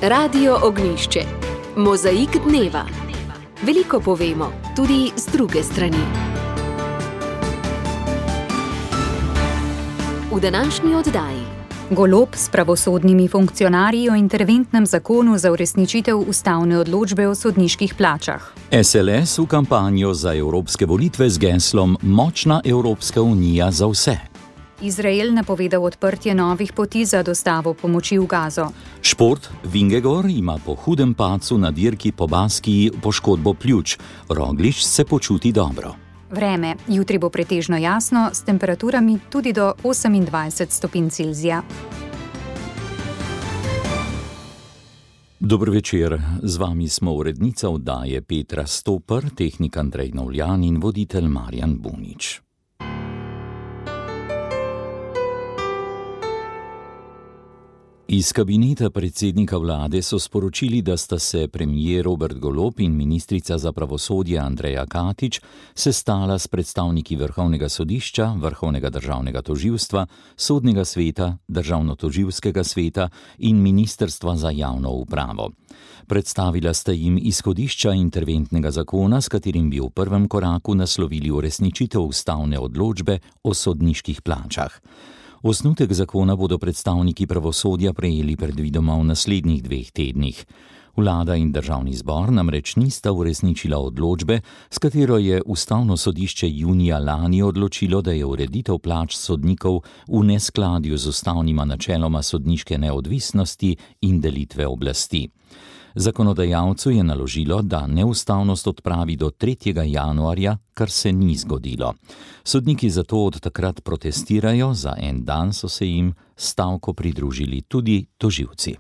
Radio Ognjišče. Mozaik dneva. Veliko povemo, tudi z druge strani. V današnji oddaji. Golob s pravosodnimi funkcionarji o interventnem zakonu za uresničitev ustavne odločbe o sodniških plačah. SLS v kampanjo za evropske volitve z geslom Močna Evropska unija za vse. Izrael napovedal odprtje novih poti za dostavo pomoči v Gazo. Šport. Vingegor ima po hudem padcu na dirki po Baskiji poškodbo pljuč. Roglič se počuti dobro. Vreme. Jutri bo pretežno jasno, s temperaturami tudi do 28 stopinj Celzija. Dober večer, z vami smo urednica oddaje Petra Stopar, tehnik Andrej Novljan in voditelj Marjan Bunič. Iz kabineta predsednika vlade so sporočili, da sta se premier Robert Golob in ministrica za pravosodje Andreja Katič sestala s predstavniki Vrhovnega sodišča, Vrhovnega državnega tožilstva, Sodnega sveta, Državnotožilskega sveta in Ministrstva za javno upravo. Predstavila sta jim izhodišča interventnega zakona, s katerim bi v prvem koraku naslovili uresničitev ustavne odločbe o sodniških plačah. Osnutek zakona bodo predstavniki pravosodja prejeli predvidoma v naslednjih 2 tednih. Vlada in državni zbor namreč nista uresničila odločbe, s katero je ustavno sodišče junija lani odločilo, da je ureditev plač sodnikov v neskladju z ustavnima načeloma sodniške neodvisnosti in delitve oblasti. Zakonodajalcu je naložilo, da neustavnost odpravi do 3. januarja, kar se ni zgodilo. Sodniki zato od takrat protestirajo, za en dan so se jim stavko pridružili tudi tožilci.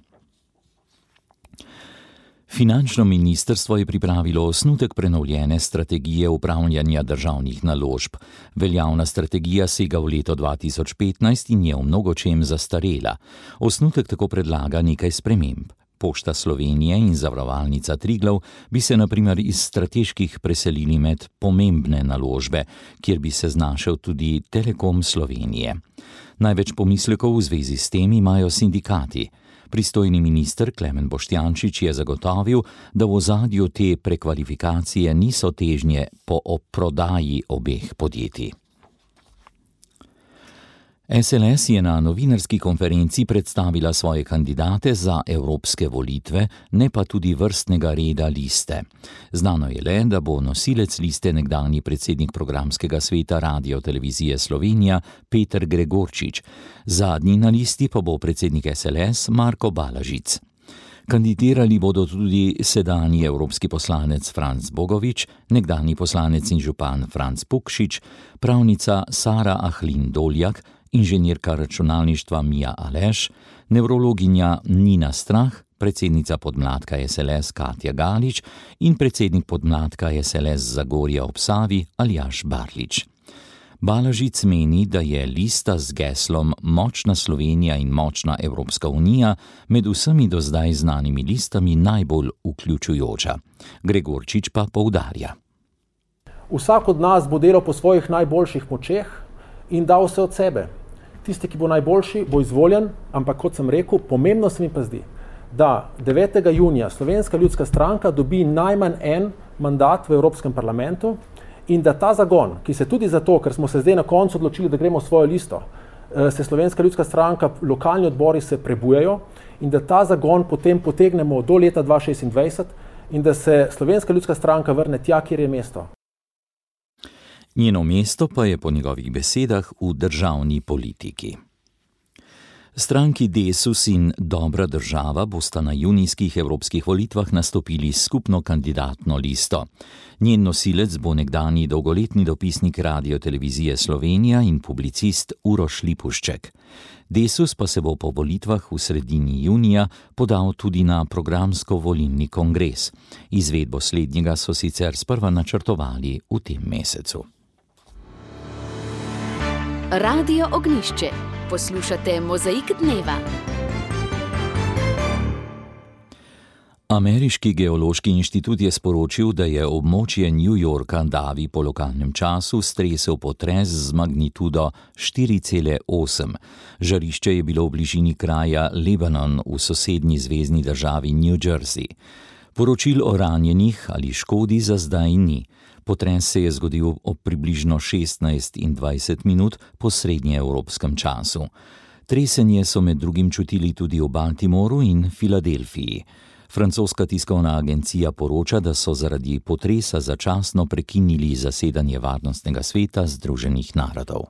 Finančno ministrstvo je pripravilo osnutek prenovljene strategije upravljanja državnih naložb. Veljavna strategija sega v leto 2015 in je v mnogočem zastarela. Osnutek tako predlaga nekaj sprememb. Pošta Slovenije in Zavarovalnica Triglav bi se na primer iz strateških preselili med pomembne naložbe, kjer bi se znašel tudi Telekom Slovenije. Največ pomislekov v zvezi s tem imajo sindikati. Pristojni minister Klemen Boštjančič je zagotovil, da v ozadju te prekvalifikacije niso težnje po prodaji obeh podjetij. SLS je na novinarski konferenci predstavila svoje kandidate za evropske volitve, ne pa tudi vrstnega reda liste. Znano je le, da bo nosilec liste nekdanji predsednik programskega sveta Radio-televizije Slovenija Peter Gregorčič. Zadnji na listi pa bo predsednik SLS Marko Balažic. Kandidirali bodo tudi sedanji evropski poslanec Franc Bogovič, nekdanji poslanec in župan Franc Pukšič, pravnica Sara Ahlin Doljak, inženirka računalništva Mija Aleš, nevrologinja Nina Strah, predsednica podmladka SLS Katja Galič in predsednik podmladka SLS Zagorja ob Savi Aljaž Barlič. Balažic meni, da je lista z geslom Močna Slovenija in Močna Evropska unija med vsemi do zdaj znanimi listami najbolj vključujoča. Gregorčič pa poudarja. Vsak od nas bo delal po svojih najboljših močeh in dal vse od sebe. Tisti, ki bo najboljši, bo izvoljen, ampak kot sem rekel, pomembno se mi pa zdi, da 9. junija Slovenska ljudska stranka dobi najmanj en mandat v Evropskem parlamentu in da ta zagon, ki se tudi zato, ker smo se zdaj na koncu odločili, da gremo v svojo listo, se Slovenska ljudska stranka, lokalni odbori se prebujajo in da ta zagon potem potegnemo do leta 2026 in da se Slovenska ljudska stranka vrne tja, kjer je mesto. Njeno mesto pa je po njegovih besedah v državni politiki. Stranki Desus in Dobra država bosta na junijskih evropskih volitvah nastopili skupno kandidatno listo. Njen nosilec bo nekdanji dolgoletni dopisnik Radio-televizije Slovenija in publicist Uroš Lipušček. Desus pa se bo po volitvah v sredini junija podal tudi na programsko-volilni kongres. Izvedbo slednjega so sicer sprva načrtovali v tem mesecu. Radio Ognjišče. Poslušate Mozaik dneva. Ameriški geološki inštitut je sporočil, da je območje New Yorka davi po lokalnem času stresel potres z magnitudo 4,8. Žarišče je bilo v bližini kraja Lebanon v sosednji zvezni državi New Jersey. Poročil o ranjenih ali škodi za zdaj ni. Potres se je zgodil ob približno 16:20 po srednjeevropskem času. Tresenje so med drugim čutili tudi v Baltimoru in Filadelfiji. Francoska tiskovna agencija poroča, da so zaradi potresa začasno prekinili zasedanje Varnostnega sveta Združenih narodov.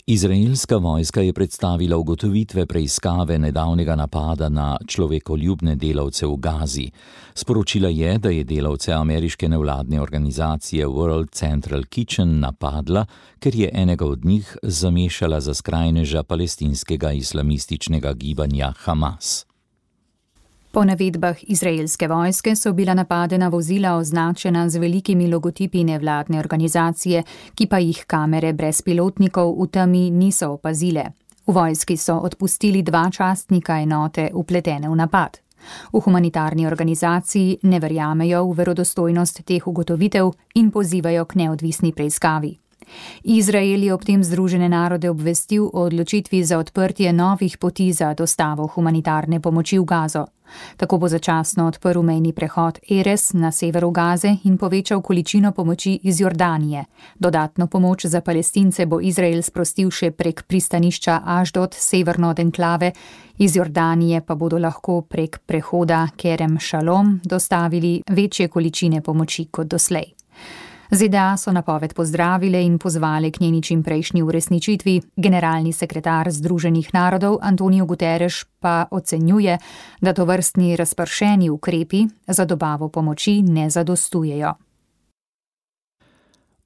Izraelska vojska je predstavila ugotovitve preiskave nedavnega napada na človekoljubne delavce v Gazi. Sporočila je, da je delavce ameriške nevladne organizacije World Central Kitchen napadla, ker je enega od njih zamešala za skrajneža palestinskega islamističnega gibanja Hamas. Po navedbah izraelske vojske so bila napadena vozila označena z velikimi logotipi nevladne organizacije, ki pa jih kamere brezpilotnikov v temi niso opazile. V vojski so odpustili 2 častnika enote vpletene v napad. V humanitarni organizaciji ne verjamejo v verodostojnost teh ugotovitev in pozivajo k neodvisni preiskavi. Izrael je ob tem Združene narode obvestil o odločitvi za odprtje novih poti za dostavo humanitarne pomoči v Gazo. Tako bo začasno odprl mejni prehod Erez na severu Gaze in povečal količino pomoči iz Jordanije. Dodatno pomoč za Palestince bo Izrael sprostil še prek pristanišča Ašdod severno od enklave, iz Jordanije pa bodo lahko prek prehoda Kerem Šalom dostavili večje količine pomoči kot doslej. ZDA so napoved pozdravile in pozvale k njeni čimprejšnji uresničitvi. Generalni sekretar Združenih narodov Antonio Guterres pa ocenjuje, da tovrstni razpršeni ukrepi za dobavo pomoči ne zadostujejo.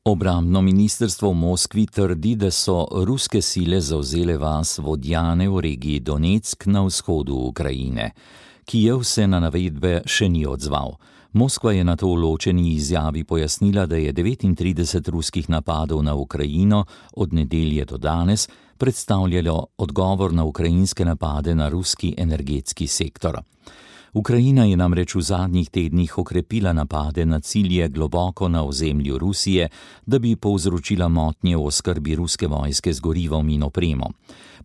Obrambno ministrstvo v Moskvi trdi, da so ruske sile zavzele vas Vodjane v regiji Donetsk na vzhodu Ukrajine. Kijev se na navedbe še ni odzval. Moskva je na to v ločeni izjavi pojasnila, da je 39 ruskih napadov na Ukrajino od nedelje do danes predstavljalo odgovor na ukrajinske napade na ruski energetski sektor. Ukrajina je namreč v zadnjih tednih okrepila napade na cilje globoko na ozemlju Rusije, da bi povzročila motnje v oskrbi ruske vojske z gorivom in opremo.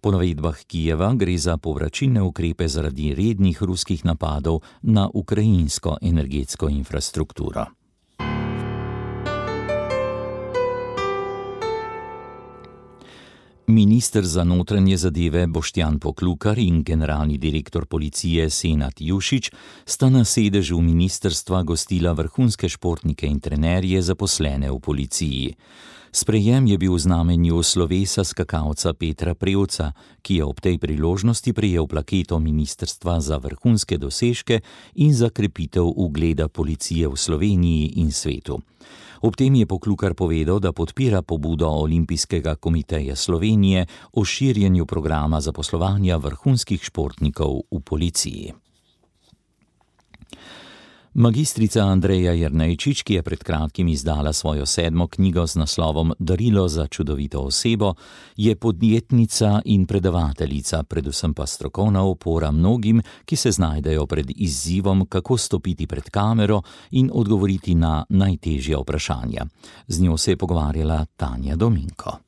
Po navedbah Kijeva gre za povračilne ukrepe zaradi rednih ruskih napadov na ukrajinsko energetsko infrastrukturo. Minister za notranje zadeve Boštjan Poklukar in generalni direktor policije Senad Jušić sta na sedežu ministrstva gostila vrhunske športnike in trenerje zaposlene v policiji. Sprejem je bil v znamenju slovesa skakalca Petra Prevca, ki je ob tej priložnosti prejel plaketo ministrstva za vrhunske dosežke in za krepitev ugleda policije v Sloveniji in svetu. Ob tem je Poklukar povedal, da podpira pobudo Olimpijskega komiteja Slovenije o širjenju programa zaposlovanja vrhunskih športnikov v policiji. Magistrica Andreja Jernejčič, ki je pred kratkim izdala svojo 7. knjigo z naslovom Darilo za čudovito osebo, je podjetnica in predavateljica, predvsem pa strokovna opora mnogim, ki se znajdejo pred izzivom, kako stopiti pred kamero in odgovoriti na najtežja vprašanja. Z njo se je pogovarjala Tanja Dominko.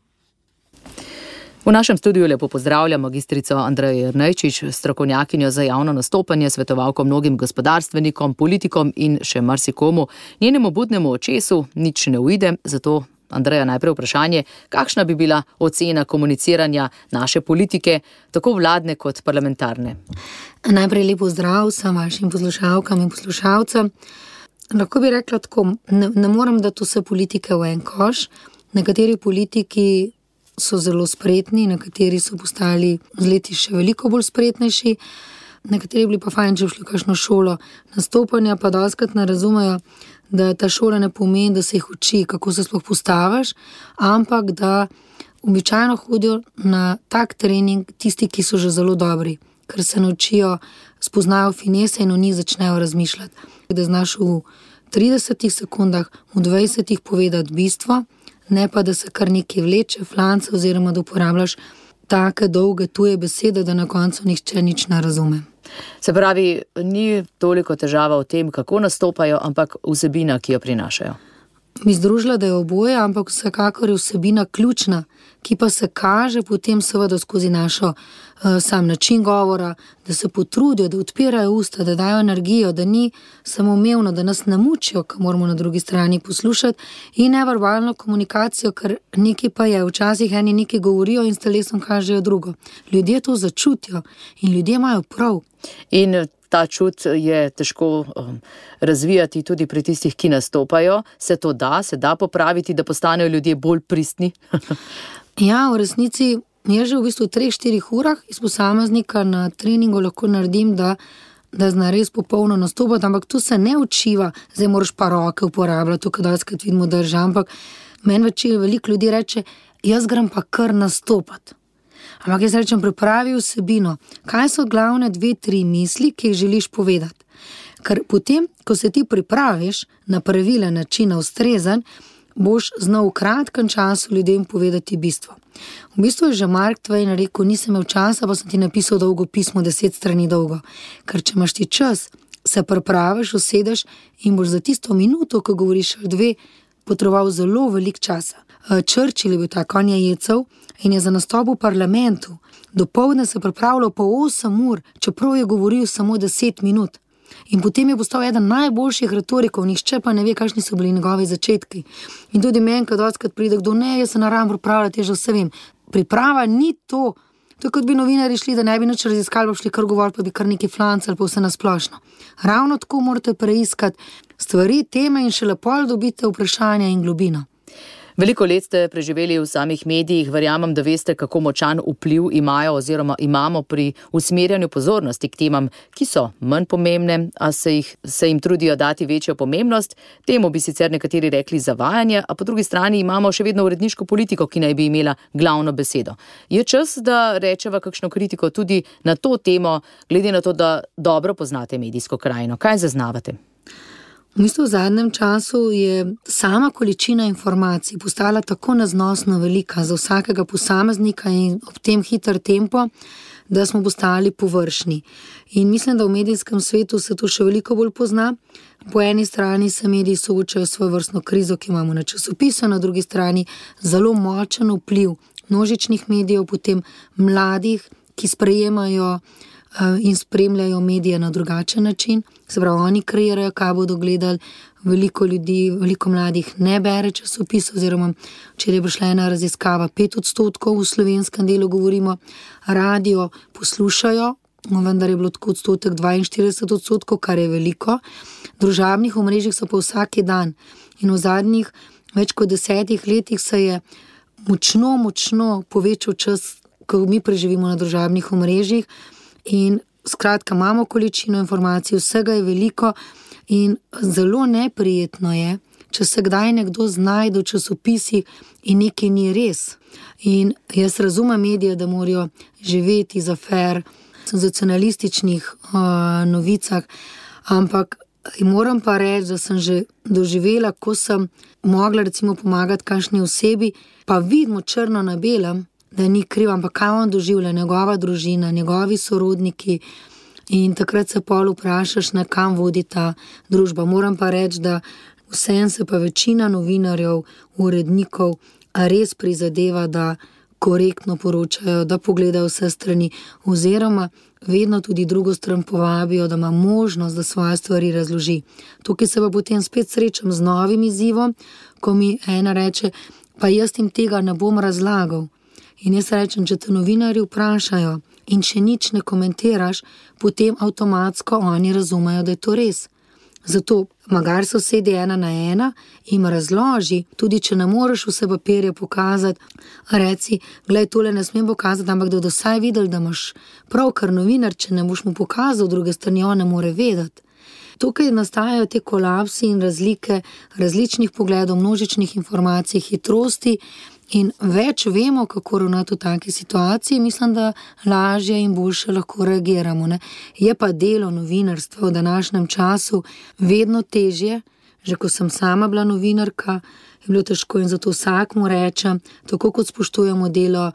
V našem studiu lepo pozdravljam magistrico Andrejo Jernejčič, strokovnjakinjo za javno nastopanje, svetovalko mnogim gospodarstvenikom, politikom in še marsikomu. Njenemu budnemu očesu nič ne uide, zato Andreja najprej vprašanje, kakšna bi bila ocena komuniciranja naše politike, tako vladne kot parlamentarne? Najprej lepo zdrav vsem vašim poslušalkam in poslušalcem. Lahko bi rekla tako, ne moram dati vse politike v en koš. Nekateri politiki so zelo spretni, nekateri so postali z leti še veliko bolj spretnejši, nekateri bili pa fajn, če šli v kakšno šolo nastopanja, pa dostikrat ne razumejo, da ta šola ne pomeni, da se jih uči, kako se sploh postaviš, ampak da običajno hodijo na tak trening tisti, ki so že zelo dobri, ker se naučijo, spoznajo finese in o njih začnejo razmišljati. Da znaš v 30 sekundah, v 20 povedati bistvo, ne pa, da se kar nekaj vleče, flance oziroma da uporabljaš take dolge tuje besede, da na koncu nihče nič ne razume. Se pravi, ni toliko težava v tem, kako nastopajo, ampak vsebina, ki jo prinašajo. Mi združila, da je oboje, ampak vsekakor je vsebina ključna, ki pa se kaže potem seveda skozi našo sam način govora, da se potrudijo, da odpirajo usta, da dajo energijo, da ni samoumevno, da nas ne mučijo, ko moramo na drugi strani poslušati, in neverbalno komunikacijo, ker nekaj pa je, včasih eni nekaj govorijo in s telesom kažejo drugo. Ljudje to začutijo in ljudje imajo prav. In ta čut je težko razvijati tudi pri tistih, ki nastopajo. Se to da popraviti, da postanejo ljudje bolj pristni? Ja, v resnici jaz že v bistvu 3-4 urah iz posameznika na treningu lahko naredim, da zna res popolno nastopati, ampak tu se ne učiva, zdaj moraš pa roke uporabljati, tukaj daljskrat vidimo drža, ampak meni veliko ljudi reče, jaz grem pa kar nastopati. Ampak jaz rečem, pripravi vsebino. Kaj so glavne 2-3 misli, ki jih želiš povedati? Ker potem, ko se ti pripraviš na pravilen način, na ustrezen, boš znal v kratkem času ljudem povedati bistvo. V bistvu je že Mark Twain rekel, nisem imel časa, pa sem ti napisal dolgo pismo, 10 strani dolgo. Ker če imaš ti čas, se pripraviš, usedeš in boš za tisto minuto, ko govoriš 2, potreboval zelo velik časa. Churchill je bil tak, on je jecev in je za nastop v parlamentu dopoldne se pripravljal po 8 ur, čeprav je govoril samo 10 minut. In potem je postal eden najboljših retorikov, nihče pa ne ve, kakšni so bili njegovi začetki. In tudi meni, kad odskrat pride kdo, ne, jaz se naravim pripravljati, jaz že vse vem. Priprava ni to. To je kot bi novinarji šli, da ne bi nič raziskali, pa šli kar govoriti, pa bi kar neki flancali, pa vse nasplošno. Ravno tako morate preiskati stvari, teme in šele pol dobite vprašanja in globino. Veliko let ste preživeli v samih medijih, verjamem, da veste, kako močan vpliv imajo oziroma imamo pri usmerjanju pozornosti k temam, ki so manj pomembne, a se jim trudijo dati večjo pomembnost. Temu bi sicer nekateri rekli zavajanje, a po drugi strani imamo še vedno uredniško politiko, ki naj bi imela glavno besedo. Je čas, da rečeva kakšno kritiko tudi na to temo, glede na to, da dobro poznate medijsko krajino. Kaj zaznavate? V bistvu v zadnjem času je sama količina informacij postala tako neznosno velika za vsakega posameznika in ob tem hiter tempo, da smo postali površni. In mislim, da v medijskem svetu se to še veliko bolj pozna. Po eni strani se mediji soočajo s svojevrstno krizo, ki imamo na časopisu, na drugi strani zelo močen vpliv množičnih medijev, potem mladih, ki sprejemajo in spremljajo medije na drugačen način. Se pravi, oni kreirajo, kaj bodo gledali. Veliko ljudi, veliko mladih ne bere časopis, oziroma včeraj je prišla ena raziskava, 5% v slovenskem delu govorimo, radio poslušajo, vendar je bilo tako odstotek 42%, kar je veliko. Družabnih omrežjih so pa vsaki dan in v zadnjih več kot 10 letih se je močno povečal čas, ko mi preživimo na družabnih omrežjih. In skratka, imamo količino informacij, vsega je veliko in zelo neprijetno je, če se kdaj nekdo znajde v časopisih in nekaj ni res. In jaz razumem medije, da morajo živeti za fair, senzacionalističnih novicah, ampak moram pa reči, da sem že doživela, ko sem mogla recimo pomagati kakšni osebi, pa vidimo črno na belem, da ni kriv, ampak kaj on doživlja, njegova družina, njegovi sorodniki, in takrat se pol vprašaš, na kam vodi ta družba. Moram pa reči, da vsem se pa večina novinarjev, urednikov res prizadeva, da korektno poročajo, da pogledajo vse strani, oziroma vedno tudi drugo stran povabijo, da ima možnost, da svoje stvari razloži. Tukaj se pa potem spet srečam z novim izzivom, ko mi ena reče, pa jaz jim tega ne bom razlagal. In jaz rečem, če te novinarji vprašajo in če nič ne komentiraš, potem avtomatsko oni razumejo, da je to res. Zato magar sosedi 1 na 1 jim razloži, tudi če ne moreš vse papirje pokazati, reci, glej, tole ne smem pokazati, ampak da vsaj videl, da imaš prav, ker novinar, če ne boš mu pokazal, druge strani on ne more vedeti. Tukaj nastajajo te kolapsi in razlike različnih pogledov, množičnih informacij, hitrosti, in več vemo, kako ravnati v taki situaciji, mislim, da lažje in boljše lahko reagiramo. Ne? Je pa delo novinarstva v današnjem času vedno težje, že ko sem sama bila novinarka, je bilo težko in zato vsakmu rečem, tako kot spoštujemo delo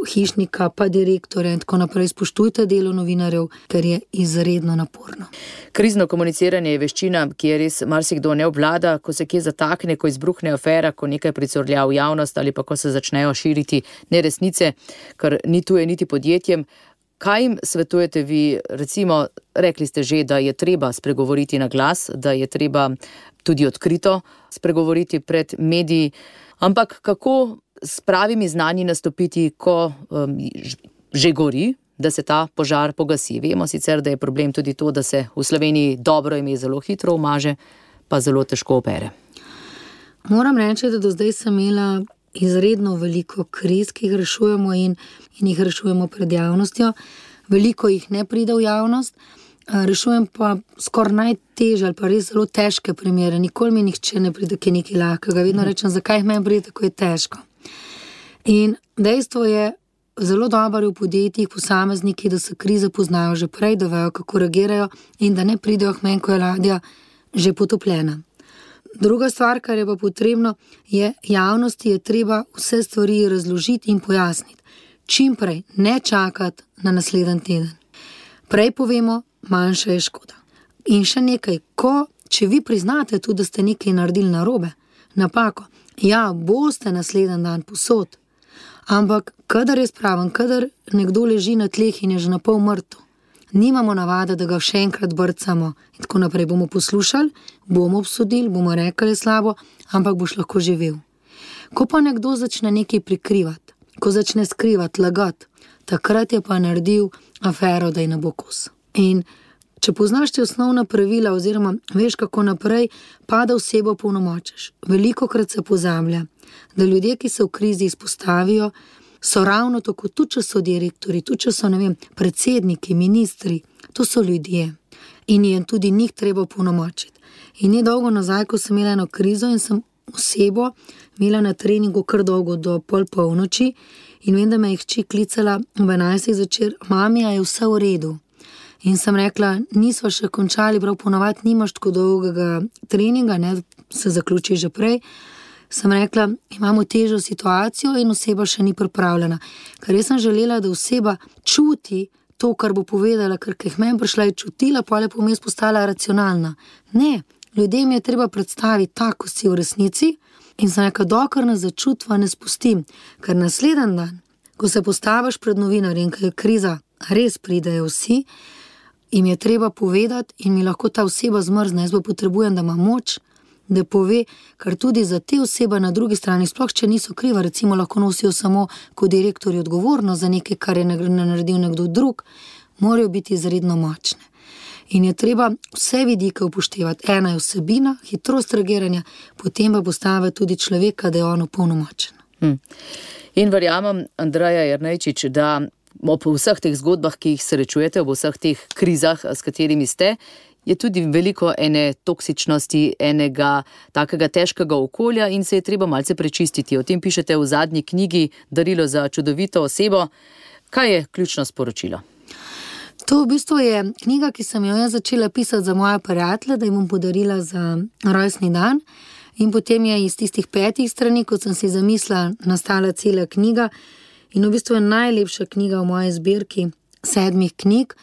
hišnika, pa direktorja in tako naprej. Spoštujte delo novinarjev, ker je izredno naporno. Krizno komuniciranje je veščina, ki je res marsikdo ne obvlada, ko se kje zatakne, ko izbruhne afera, ko nekaj pricurlja v javnost ali pa ko se začnejo širiti neresnice, kar ni tuje niti podjetjem. Kaj jim svetujete vi? Recimo, rekli ste že, da je treba spregovoriti na glas, da je treba tudi odkrito spregovoriti pred mediji, ampak kako s pravimi znanji nastopiti, ko že gori, da se ta požar pogasi? Vemo sicer, da je problem tudi to, da se v Sloveniji dobro ime zelo hitro umaže, pa zelo težko opere. Moram reči, da do zdaj sem imela izredno veliko kriz, ki jih rešujemo in jih rešujemo pred javnostjo. Veliko jih ne pride v javnost, rešujem pa skoraj najtežje ali pa res zelo težke primere. Nikoli mi nihče ne pride, ki je nekaj lahkega. Vedno rečem, zakaj meni pride, ko je težko. In dejstvo je, zelo dobro v podjetjih, posamezniki, da se krize poznajo že prej, da vejo, kako reagirajo in da ne pridejo k meni, ko je ladja že potopljena. Druga stvar, kar je pa potrebno, je javnosti je treba vse stvari razložiti in pojasniti. Čim prej, ne čakati na naslednji teden. Prej povemo, manjša je škoda. In še nekaj, če vi priznate tudi, da ste nekaj naredili narobe, napako, ja, boste naslednji dan posod, ampak kadar je spraven, kadar nekdo leži na tleh in je že napol mrtev, nimamo navade, da ga še enkrat brcamo in tako naprej. Bomo poslušali, bomo obsodili, bomo rekli slabo, ampak boš lahko živel. Ko pa nekdo začne nekaj prikrivati, ko začne skrivati, lagati, takrat je pa naredil afero, da je ne bo kos. In če poznaš te osnovna pravila oziroma veš, kako naprej, pa da osebo polnomočiš. Velikokrat se pozablja, da ljudje, ki se v krizi izpostavijo, so ravno tako, tudi če so direktori, tudi če so, predsedniki, ministri, to so ljudje in je tudi njih treba polnomočiti. In ni dolgo nazaj, ko sem imela eno krizo in sem osebo imela na treningu kar dolgo do polnoči in vem, da me je hči klicala ob 11 zvečer, mami, a je vse v redu. In sem rekla, nisva še končali, prav ponovadi nimaš tako dolgega treninga, se zaključi že prej. Sem rekla, imamo težjo situacijo in oseba še ni pripravljena. Ker jaz sem želela, da oseba čuti to, kar bo povedala, ker jih meni prišla je čutila, pa je pomest postala racionalna. Ne, ljudem je treba predstaviti tako, si v resnici in sem rekla, dokler ne začutva, ne spustim. Ker naslednji dan, ko se postaviš pred novinarjem, ker je kriza, res pridejo vsi, jim je treba povedati in mi lahko ta oseba zmrzne. Jaz pa potrebujem, da ima moč, da pove, ker tudi za te osebe na drugi strani, sploh če niso kriva, recimo lahko nosijo samo kot direktorji odgovornost za nekaj, kar je naredil nekdo drug, morajo biti izredno močne. In je treba vse vidike upoštevati. Ena je vsebina, hitrost reagiranja, potem pa postaviti tudi človeka, da je on opolnomočen. In verjamem, Andreja Jernejčič, da ob vseh teh zgodbah, ki jih srečujete, ob vseh teh krizah, s katerimi ste, je tudi veliko ene toksičnosti, enega takega težkega okolja in se je treba malce prečistiti. O tem pišete v zadnji knjigi Darilo za čudovito osebo. Kaj je ključno sporočilo? To v bistvu je knjiga, ki sem jo začela pisati za moje prijatelje, da jim bom podarila za rojstni dan. In potem je iz tistih 5 strani, kot sem si zamislila, nastala cela knjiga. In v bistvu je najlepša knjiga v moji zbirki 7 knjig,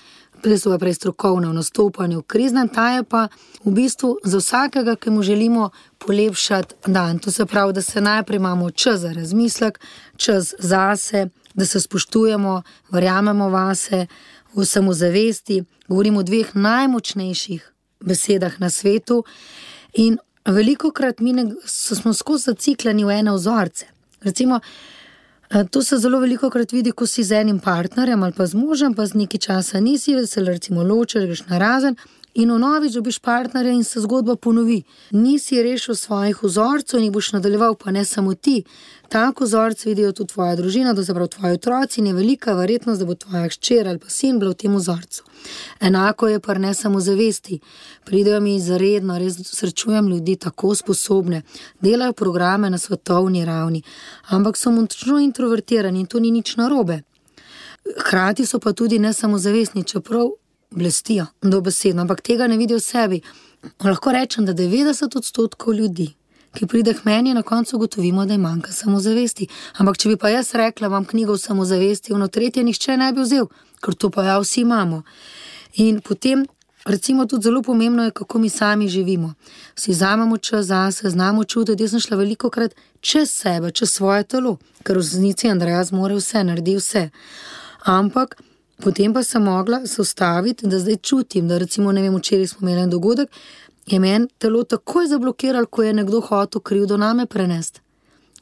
prej strokovno v nastopanju v kriznem, ta je pa v bistvu za vsakega, ki mu želimo polepšati dan. To se pravi, da se najprej imamo čas za razmislek, čas zase, da se spoštujemo, verjamemo vase, v samozavesti, govorimo o 2 najmočnejših besedah na svetu in velikokrat smo skozi zaciklani v ene vzorce. Recimo, to se zelo velikokrat vidi, ko si z enim partnerjem ali pa z možem, pa z nekaj časa nisi, se recimo ločiš, greš narazen in vnovič dobiš partnerja in se zgodba ponovi. Nisi rešil svojih vzorcev in jih boš nadaljeval, pa ne samo ti. Tako vzorce vidijo tudi tvoja družina, to se pravi tvoji otroci in je velika verjetnost, da bo tvoja hčer ali pa sin bila v tem vzorcu. Enako je pa ne samo zavesti. Pridejo mi izredno, res srečujem ljudi tako sposobne, delajo programe na svetovni ravni, ampak so močno introvertirani in to ni nič narobe. Hkrati so pa tudi ne samo zavestni, čeprav blestijo dobesedno, ampak tega ne vidijo v sebi. Lahko rečem, da 90% ljudi, ki pride k meni, na koncu ugotovimo, da je manjka samozavesti. Ampak če bi pa jaz rekla, imam knjigo o samozavesti, ono tretje nihče ne bi vzel, ker to pa ja vsi imamo. In potem, recimo, tudi zelo pomembno je, kako mi sami živimo. Si vzamemo čas zase, znamo čutiti. Jaz sem šla velikokrat čez sebe, čez svoje telo, ker v resnici Andreja zmore vse, naredi vse. Ampak potem pa sem mogla se ustaviti, da zdaj čutim, da recimo, ne vem, včeraj smo imeli en dogodek, je meni telo takoj zablokiralo, ko je nekdo hotel krivdo name prenesti.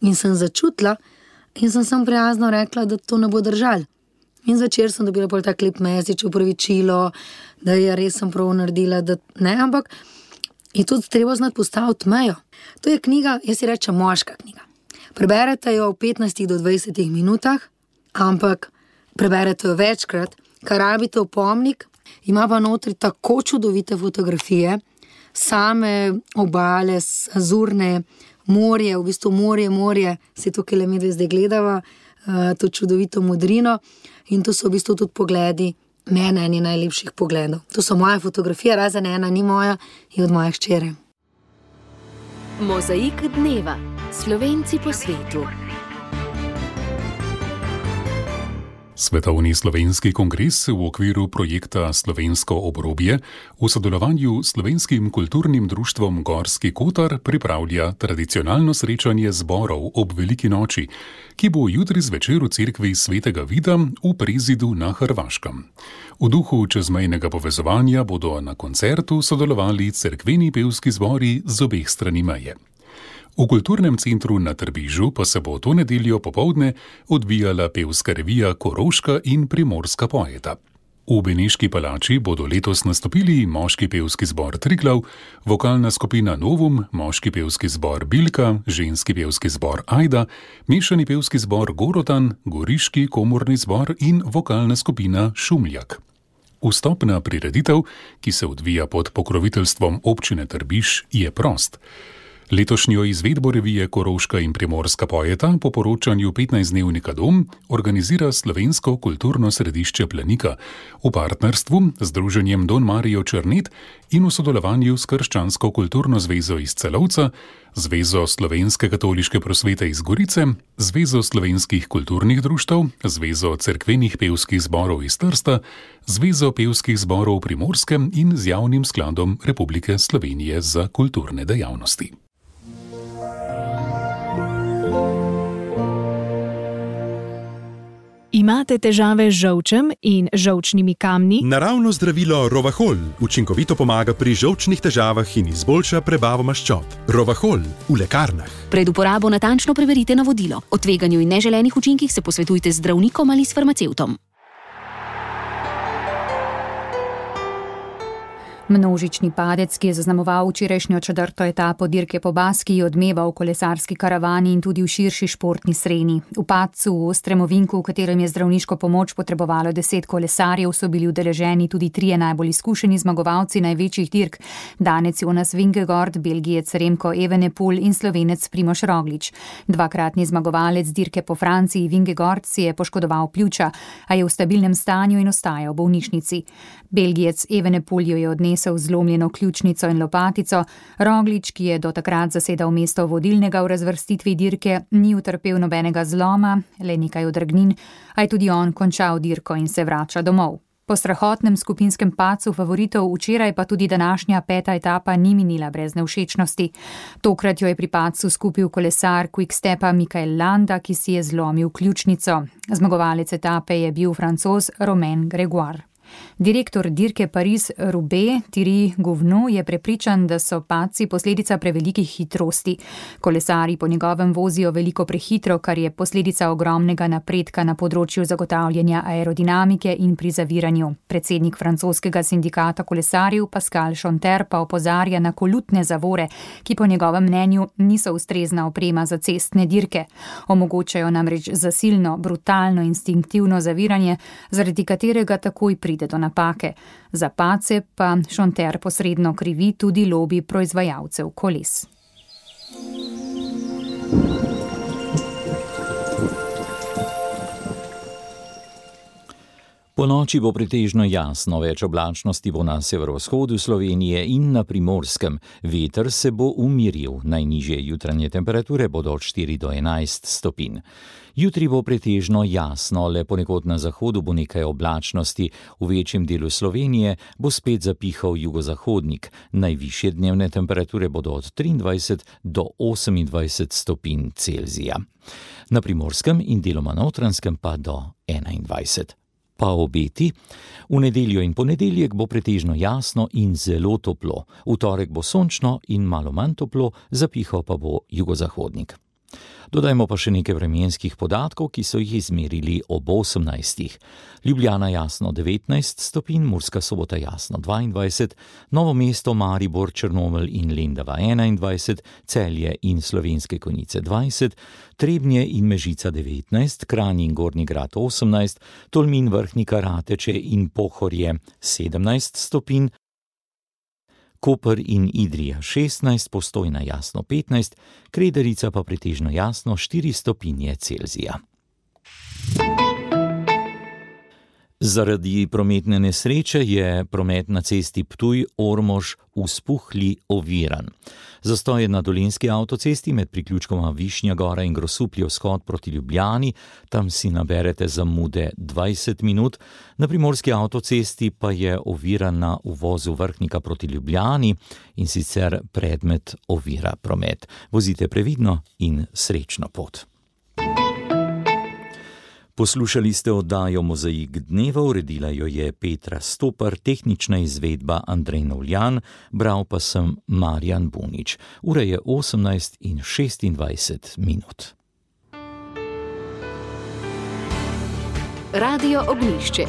In sem začutila in sem prijazno rekla, da to ne bo držalo. In zvečer sem dobila pol tak lep message, opravičilo, da je res sem prav naredila, da ne, ampak je tudi treba znati postaviti mejo. To je knjiga, jaz si rečem, moška knjiga. Preberete jo v 15 do 20 minutah, ampak preberete jo večkrat, kar rabite opomnik, ima pa notri tako čudovite fotografije, same obale, azurne, morje, v bistvu morje, se to, ki le mi zdaj gledava, to čudovito modrino, in to so v bistvu tudi pogledi mene, eni najlepših pogledov. To so moje fotografije, razen ena ni moja, je od moje hčere. Mozaik dneva. Slovenci po svetu. Svetovni slovenski kongres v okviru projekta Slovensko obrobje v sodelovanju s Slovenskim kulturnim društvom Gorski Kotar pripravlja tradicionalno srečanje zborov ob Veliki noči, ki bo jutri zvečer v cerkvi Svetega Vida v Prezidu na Hrvaškem. V duhu čezmejnega povezovanja bodo na koncertu sodelovali cerkveni pevski zbori z obeh strani meje. V kulturnem centru na Trbižu pa se bo to nedeljo popoldne odvijala pevska revija Koroška in Primorska poeta. V Beneški palači bodo letos nastopili moški pevski zbor Triglav, vokalna skupina Novum, moški pevski zbor Bilka, ženski pevski zbor Ajda, mešani pevski zbor Gorotan, goriški komorni zbor in vokalna skupina Šumljak. Vstop na prireditev, ki se odvija pod pokroviteljstvom občine Trbiž, je prost. Letošnjo izvedbo revije Koroška in Primorska poeta po poročanju 15-dnevnika Dom organizira Slovensko kulturno središče Planika v partnerstvu z Združenjem Don Marijo Črnet in v sodelovanju s Krščansko kulturno zvezo iz Celovca, Zvezo slovenske katoliške prosvete iz Gorice, Zvezo slovenskih kulturnih društev, Zvezo cerkvenih pevskih zborov iz Trsta, Zvezo pevskih zborov Primorske in z Javnim skladom Republike Slovenije za kulturne dejavnosti. Imate težave z žolčem in žolčnimi kamni? Naravno zdravilo Rovahol učinkovito pomaga pri žolčnih težavah in izboljša prebavo maščob. Rovahol v lekarnah. Pred uporabo natančno preverite navodilo. O tveganju in neželenih učinkih se posvetujte z zdravnikom ali s farmacevtom. Množični padec, ki je zaznamoval včerajšnjo četrto etapo dirke po Baskiji, odmeva v kolesarski karavani in tudi v širši športni sreni. V padcu v ostrem ovinku, v katerem je zdravniško pomoč potrebovalo 10 kolesarjev, so bili udeleženi tudi 3 najbolj izkušeni zmagovalci največjih dirk. Danec Jonas Vingegaard, Belgijec Remko Evenepoel in Slovenec Primož Roglič. Dvakratni zmagovalec dirke po Franciji Vingegaard si je poškodoval pljuča, a je v stabilnem stanju in ostaja v bolnišnici. Belgijec Evenepoel jo je odnesel zlomljeno ključnico in lopatico. Roglič, ki je do takrat zasedal mesto vodilnega v razvrstitvi dirke, ni utrpel nobenega zloma, le nekaj odrgnin, a je tudi on končal dirko in se vrača domov. Po strahotnem skupinskem padcu favoritov včeraj pa tudi današnja 5. etapa ni minila brez nevšečnosti. Tokrat jo je pri padcu skupil kolesar Quickstepa Michael Landa, ki si je zlomil ključnico. Zmagovalec etape je bil Francoz Romain Grégoire. Direktor dirke Paris-Roubaix Thierry Gouvenou je prepričan, da so padci posledica prevelikih hitrosti. Kolesarji po njegovem vozijo veliko prehitro, kar je posledica ogromnega napredka na področju zagotavljanja aerodinamike in pri zaviranju. Predsednik francoskega sindikata kolesarjev Pascal Chonter pa opozarja na kolutne zavore, ki po njegovem mnenju niso ustrezna oprema za cestne dirke. Omogočajo namreč zasilno, brutalno, instinktivno zaviranje, zaradi katerega takoj pride do napake. Za padce pa Chonter posredno krivi tudi lobi proizvajalcev koles. Po noči bo pretežno jasno, več oblačnosti bo na severovzhodu Slovenije in na Primorskem. Veter se bo umiril, najnižje jutranje temperature bodo od 4 do 11 stopinj. Jutri bo pretežno jasno, le ponekod na zahodu bo nekaj oblačnosti, v večjem delu Slovenije bo spet zapihal jugozahodnik. Najvišje dnevne temperature bodo od 23 do 28 stopinj Celzija. Na Primorskem in deloma Notranjskem pa do 21. Pa obeti. V nedeljo in ponedeljek bo pretežno jasno in zelo toplo. V torek bo sončno in malo manj toplo, zapihal pa bo jugozahodnik. Dodajmo pa še nekaj vremenskih podatkov, ki so jih izmerili ob 18. Ljubljana jasno 19 stopinj, Murska Sobota jasno 22, Novo mesto, Maribor, Črnomelj in Lendava 21, Celje in Slovenske Konjice 20, Trebnje in Mežica 19, Kranj in Gornji Grad 18, Tolmin, Vrhnika, Rateče in Pohorje 17 stopinj, Koper in Idrija 16, Postojna jasno 15, Krederica pa pretežno jasno 4 stopinje Celzija. Zaradi prometne nesreče je promet na cesti Ptuj-Ormož v Spuhli oviran. Zastoj je na Dolenjski avtocesti med priključkoma Višnja Gora in Grosuplje vzhod proti Ljubljani, tam si naberete zamude 20 minut. Na Primorski avtocesti pa je oviran na uvozu Vrhnika proti Ljubljani in sicer predmet ovira promet. Vozite previdno in srečno pot. Poslušali ste oddajo Mozaik dneva, uredila jo je Petra Stopar, tehnična izvedba Andrej Novljan, bral pa sem Marjan Bunič. Ura je 18:26 minut. Radio Ognjišče.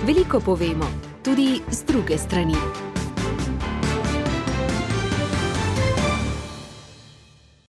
Veliko povemo, tudi z druge strani.